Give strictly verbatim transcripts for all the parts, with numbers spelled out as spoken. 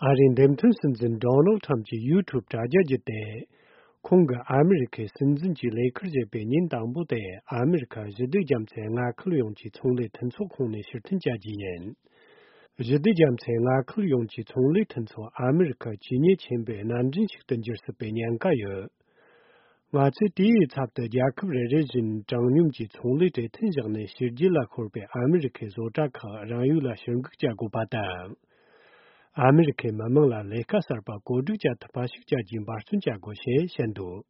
ཨ་རིའི་འདེམས་ཐོན་སྲིད་འཛིན་ཌོ་ནལ་ཁྲམ་གྱི་ཡུ་ཊུབ་དྲ་རྒྱ་བརྒྱུད་དེ། ཁོང་གིས་ཨ་མི་རི་ཁའི་སྲིད་འཛིན་གྱི་ལས་ཁུར་བཞེས་པའི་ཉིན་དང་པོ་དེ་ཨ་མི་རི་ཁ་ཞི་བདེ་རྒྱ་མཚོའི་མངའ་ཁུལ་ཡོངས་ཀྱི་ཚོང་ལས་མཐུན་ཚོགས་ཁོངས་ནས་ཕྱིར་འཐེན་བྱ་རྒྱུ་ཡིན། ཞི་བདེ་རྒྱ་མཚོའི་མངའ་ཁུལ་ཡོངས་ཀྱི་ཚོང་ལས་མཐུན་ཚོགས་ཨ་མི་རི་ཁ་ཇི་སྙེད་ཆེན་པོའི་སྣ་འདྲེན་ཞིག་ཏུ་འགྱུར་སྲིད་པའི་ཉེན་ཁ་ཡོད། ང་ཚོས་དེའི་ཚབ་ཏུ་རྒྱལ་ཁབ་རེ་རེ་བཞིན་དྲང་སྙོམས་ཀྱི་ཚོང་ལས་གྲོས་མཐུན་བཞག་ནས་ཕྱི་རྒྱལ་ལ་ཤོར་བའི་ཨ་མི་རི་ཁའི་བཟོ་གྲྭ་ཁག་རང་ཡུལ་ལ་ཕྱིར་འགུག་བྱ་དགོས་པ་དང་། ཨ་མི་རི་ཁའི་མི་དམངས་ལ་ལས་ཀ་གསར་པ་བཀོད་སྒྲིག་བྱ་ཐུབ་པ་ཞིག་བྱ་རྒྱུའི་འབད་བརྩོན་བྱ་དགོས་ཞེས་བཤད་འདུག་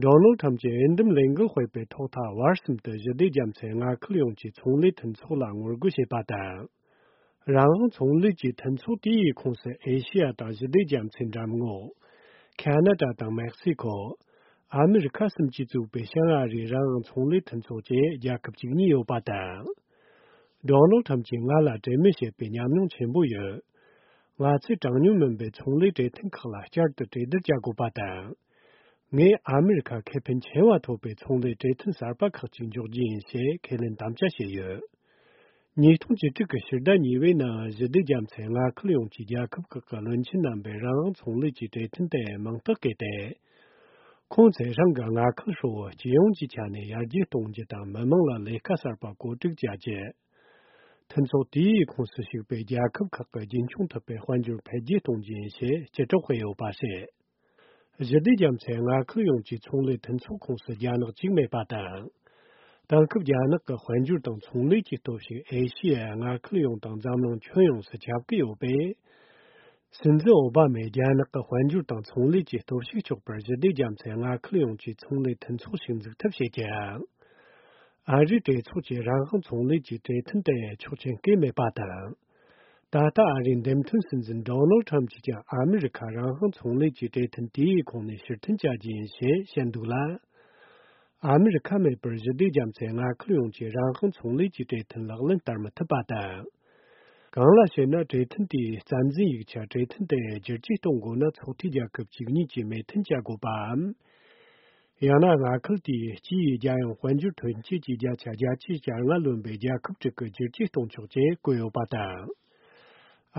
ཌོ་ནལ་ཁྲམ་གྱི་འོས་འདེམས་ལས་འགུལ་སྤེལ་བའི་ཐོག་མཐའ་བར་གསུམ་དུ་ཞི་བདེ་རྒྱ་མཚོའི་མངའ་ཁུལ་ཡོངས་ཀྱི་ཚོང་ལས་མཐུན་ཚོགས་ལ་ངོ་རྒོལ་བྱས་པ་དང་། རང་དབང་ཚོང་ལས་ཀྱི་མཐུན་ཚོགས་དེའི་ཁོངས་སུ་ཨེ་ཤེ་ཡ་དང་ཞི་བདེ་རྒྱ་མཚོའི་འགྲམ་ངོགས། ཁ་ན་ཌ་དང་མེག་སི་ཁོ། ཨ་མི་རི་ཁ་གསུམ་གྱིས་བཙུགས་པའི་བྱང་ཨ་རིའི་རང་དབང་ཚོང་ལས་མཐུན་ཚོགས་བཅས་རྒྱལ་ཁབ་བཅུ་གཉིས་ཡོད་པ་དང་། ཌོ་ནལ་ཁྲམ་གྱིས་ང་ལ་གྲོས་མོལ་བྱེད་པའི་ཉམས་མྱོང་ཆེན་པོ་ཡོད། ང་ཚོས་དྲང་སྙོམས་མིན་པའི་ཚོང་ལས་གྲོས་མཐུན་ཁག་ལ་བསྐྱར་དུ་གྲོས་བསྡུར་བྱ་དགོས་པ་དང་། ངས་ཨ་མི་རི་ཁ་ཁེ་ཕན་ཆེ་བ་ཐོབ་པའི་ཚོང་ལས་གྲོས་མཐུན་གསར་པ་ཁག་ཅིག་འཇོག་རྒྱུ་ཡིན་ཞེས་ཁས་ལེན་དམ་བཅའ་བྱས་ཡོད། ཉིས་སྟོང་བཅུ་དྲུག་གི་ཕྱི་ཟླ་གཉིས་པའི་ནང་ཞི་བདེ་རྒྱ་མཚོའི་མངའ་ཁུལ་ཡོངས་ཀྱི་རྒྱལ་ཁབ་ཁག་གི་བློན་ཆེན་རྣམ་པས་རང་དབང་ཚོང་ལས་ཀྱི་གྲོས་མཐུན་དེ་མིང་རྟགས་བཀོད་དེ། ཁོང་ཚོས་རང་གི་མངའ་ཁུལ་ཧྲིལ་བོ་སྤྱི་ཡོངས་ཀྱི་ཆ་ནས་ཡར་རྒྱས་གཏོང་རྒྱུ་དང་མི་དམངས་ལ་ལས་ཀ་གསར་པ་བཀོད་སྒྲིག་བྱ་རྒྱུ། མཐུན་ཚོགས་དེའི་ཁོངས་སུ་ཞུགས་པའི་རྒྱལ་ཁབ་ཁག་གི་རྒྱུན་འཁྱོངས་ཐུབ་པའི་དཔལ་འབྱོར་འཕེལ་རྒྱས་གཏོང་རྒྱུ་ཡིན་ཞེས་སྤྱི་སྒྲོག་སྤེལ་ཡོད་པ་རེད། ཞི་བདེ་རྒྱ་མཚོའི་མངའ་ཁུལ་ཡོངས་ཀྱི་ཚོང་ལས་མཐུན་ཚོགས་ཁོངས་སུ་རྒྱ་ནག་གཅིག་མེད་པ་དང་། དེང་སྐབས་རྒྱ་ནག་གི་དཔལ་འབྱོར་དང་ཚོང་ལས་ཀྱི་སྟོབས་ཤུགས་ཨེ་ཤི་ཡའི་མངའ་ཁུལ་ཡོངས་དང་འཛམ་གླིང་ཁྱོན་ཡོངས་སུ་ཁྱབ་ཀྱི་ཡོད་པས། སྲིད་འཛིན་ཨོ་བྷ་མས་རྒྱ་ནག་གི་དཔལ་འབྱོར་དང་ཚོང་ལས་ཀྱི་སྟོབས་ཤུགས་གཅོག་པར་ཞི་བདེ་རྒྱ་མཚོའི་མངའ་ཁུལ་ཡོངས་ཀྱི་ཚོང་ལས་མཐུན་ཚོགས་ཤིག་འཛུགས་ཐབས་བྱེད་ཀྱི། ཨ་རིའི་གྲོས་ཚོགས་ཀྱིས་རང་དབང་ཚོང་ལས་ཀྱི་གྲོས་མཐུན་དེ་ཆོག་མཆན་བཀོད་མེད་པ་དང་། ད་ལྟ་ཨ་རིའི་འདེམས་ཐོན་སྲིད་འཛིན་ཌོ་ནལ་ཁྲམ་གྱིས་ཀྱང་ཨ་མི་རི་ཁ་རང་དབང་ཚོང་ལས་ཀྱི་གྲོས་མཐུན་དེའི་ཁོངས་ནས་ཕྱིར་འཐེན་བྱ་རྒྱུ་ཡིན་ཞེས་བཤད་འདུག་ལ། ཨ་མི་རི་ཁ་མེད་པར་ཞི་བདེ་རྒྱ་མཚོའི་མངའ་ཁུལ་ཡོངས་ཀྱི་རང་དབང་ཚོང་ལས་ཀྱི་གྲོས་མཐུན་ལག་ལེན་བསྟར་མི་ཐུབ་པ་དང་། གང་ལ་ཞེ་ན། གྲོས་མཐུན་དེའི་རྩ་འཛིན་ཡིག་ཆ་གྲོས་མཐུན་དེ་བསྒྱུར་བཅོས་གཏོང་དགོས་ན་ཚོགས་འཐུས་རྒྱལ་ཁབ་བཅུ་གཉིས་ཀྱིས་མོས་མཐུན་བྱ་དགོས་པའམ། ཡང་ན་མངའ་ཁུལ་དེའི་སྤྱི་ཡི་རྒྱལ་ཡོངས་དཔལ་འབྱོར་ཐོན་སྐྱེད་ཀྱི་བརྒྱ་ཆ་བརྒྱད་ཅུ་གྱ་ལྔ་ལོན་པའི་རྒྱལ་ཁབ་དྲུག་གིས་བསྒྱུར་བཅོས་གཏོང་ཆོག་ཅེས་བཀོད་ཡོད་པ་དང་།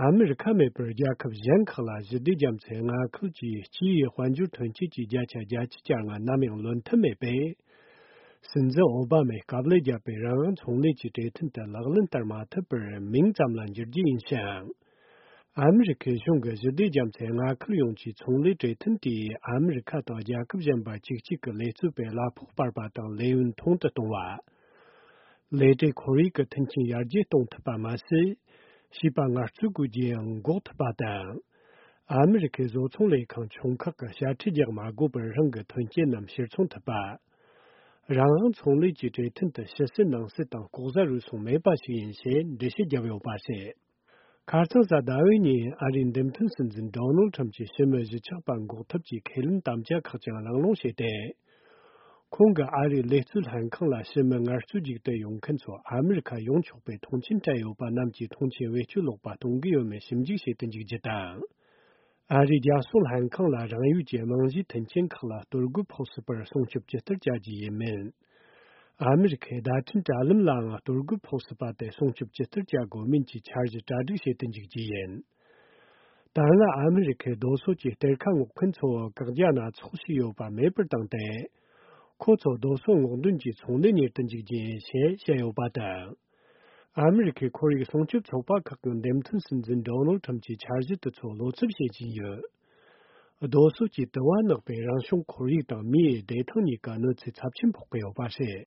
ཨ་མི་རི་ཁ་མེད་པར་རྒྱལ་ཁབ་གཞན་ཁག་ལ་ཞི་བདེ་རྒྱ་མཚོའི་མངའ་ཁུལ་གྱི་སྤྱི་ཡི་དཔལ་འབྱོར་ཐོན་སྐྱེད་ཀྱི་བརྒྱ་ཆ་བརྒྱད་ཅུ་གྱ་ལྔ་ནམ་ཡང་ལོན་ཐབས་མེད་པས། སྲིད་འཛིན་ཨོ་བྷ་མས་དཀའ་ལས་བརྒྱབ་པའི་རང་དབང་ཚོང་ལས་ཀྱི་གྲོས་མཐུན་དེ་ལག་ལེན་བསྟར་མ་ཐུབ་པར་མིང་ཙམ་ལ་འགྱུར་རྒྱུ་ཡིན་ཞིང་། ཨ་མི་རི་ཁའི་གཞུང་གིས་ཞི་བདེ་རྒྱ་མཚོའི་མངའ་ཁུལ་ཡོངས་ཀྱི་ཚོང་ལས་གྲོས་མཐུན་དེས་ཨ་མི་རི་ཁ་དང་རྒྱལ་ཁབ་གཞན་པ་བཅུ་གཅིག་གི་ལས་བཙོན་པའི་གླ་ཕོགས་སྤར་བ་དང་ལས་ཡུན་ཐུང་དུ་གཏོང་བ། ལས་བྲལ་ཁོར་ཡུག་གི་མཐུན་རྐྱེན་ཡར་རྒྱས་གཏོང་ཐུབ་པ་མ་ཟད། བྱིས་པ་ངལ་རྩོལ་དགོས་རྒྱུ་ཡང་འགོག་ཐུབ་པ་དང་། ཨ་མི་རི་ཁའི་བཟོ་ཚོང་ལས་ཁང་ཆུང་ཁག་གིས་དཔྱ་ཁྲལ་རྒྱག་མ་དགོས་པར་རང་གི་ཐོན་སྐྱེད་རྣམས་ཕྱིར་ཚོང་ཐུབ་པ། རང་དབང་ཚོང་ལས་ཀྱི་གྲོས་མཐུན་དུ་ཕྱི་སྲིད་ནང་སྲིད་དང་ལྐོག་ཟ་རུལ་སུངས་མེད་པ་ཞིག་ཡིན་ཞེས་འགྲེལ་བཤད་བརྒྱབ་ཡོད་པ་རེད། ཁ་རྩང་གཟའ་ཟླ་བའི་ཉིན་ཨ་རིའི་འདེམས་ཐོན་སྲིད་འཛིན་ཌོ་ནལ་ཁྲམ་གྱིས་ཕྱི་མི་གཞིས་ཆགས་པ་འགོག་ཐབས་ཀྱི་ཁས་ལེན་དམ་བཅའ་ཁག་ཀྱང་གླེང་སློང་བྱས་ཏེ། ཁོང་གིས་ཨ་རིའི་ལས་བཙོན་ལྷན་ཁང་ལ་ཕྱི་མི་ངལ་རྩོལ་རྒྱུགས་དུ་ཡོང་མཁན་ཚོ་ཨ་མི་རི་ཁ་ཡོང་ཆོག་པའི་མཐོང་མཆན་སྤྲད་ཡོད་པ་རྣམས་ཀྱི་མཐོང་མཆན་བེད་སྤྱོད་ལོག་པ་གཏོང་གི་ཡོད་མེད་ཞིབ་འཇུག་བྱེད་དུ་འཇུག་རྒྱུ་དང་། ཨ་རིའི་རྒྱལ་སྲུང་ལྷན་ཁང་ལ་རང་ཡུལ་གྱི་རྨང་གཞིའི་མཐུན་རྐྱེན་ཁག་ལ་གཏོར་རྒོལ་ཕོག་སྲིད་པར་སྲུང་སྐྱོབ་ཇི་ལྟར་བྱ་རྒྱུ་ཡིན་མིན། ཨ་མི་རི་ཁའི་བརྡ་འཕྲིན་དྲ་ལམ་ལའང་གཏོར་རྒོལ་ཕོག་སྲིད་པ་དེ་སྲུང་སྐྱོབ་ཇི་ལྟར་བྱ་དགོས་མིན་གྱི་འཆར་གཞི་གྲ་སྒྲིག་བྱེད་དུ་འཇུག་རྒྱུ་ཡིན། ད་སྔ་ཨ་མི་རི་ཁའི་རྡོ་སོལ་གྱི་གཏེར་ཁ་སྔོག་མཁན་ཚོ་བཀག་རྒྱ་སྣ་ཚོགས་ཤིག་ཡོད་པ་མེད་པར་བཏང་སྟེ། ཁོ་ཚོ་རྡོ་སོལ་སྔོག་འདོན་གྱི་ཚོང་ལས་གཉེར་དུ་འཇུག་རྒྱུ་ཡིན་ཞེས་བཤད་ཡོད་པ་དང་། ཨ་མི་རི་ཁའི་ཁོར་ཡུག་སྲུང་སྐྱོབ་ཚོགས་པ་ཁག་གི་འདེམས་ཐོན་སྲིད་འཛིན་ཌོ་ནལ་ཁྲམ་གྱི་འཆར་གཞི་དེ་ཚོ་བློ་འཚབ་བྱེད་བཞིན་ཡོད། རྡོ་སོལ་གྱི་དུ་བ་ནག་པས་རང་བྱུང་ཁོར་ཡུག་དང་མིའི་བདེ་ཐང་གཉིས་ཀ་གནོད་འཚེ་ཚབས་ཆེན་ཕོག་གི་ཡོད་པ་རེད།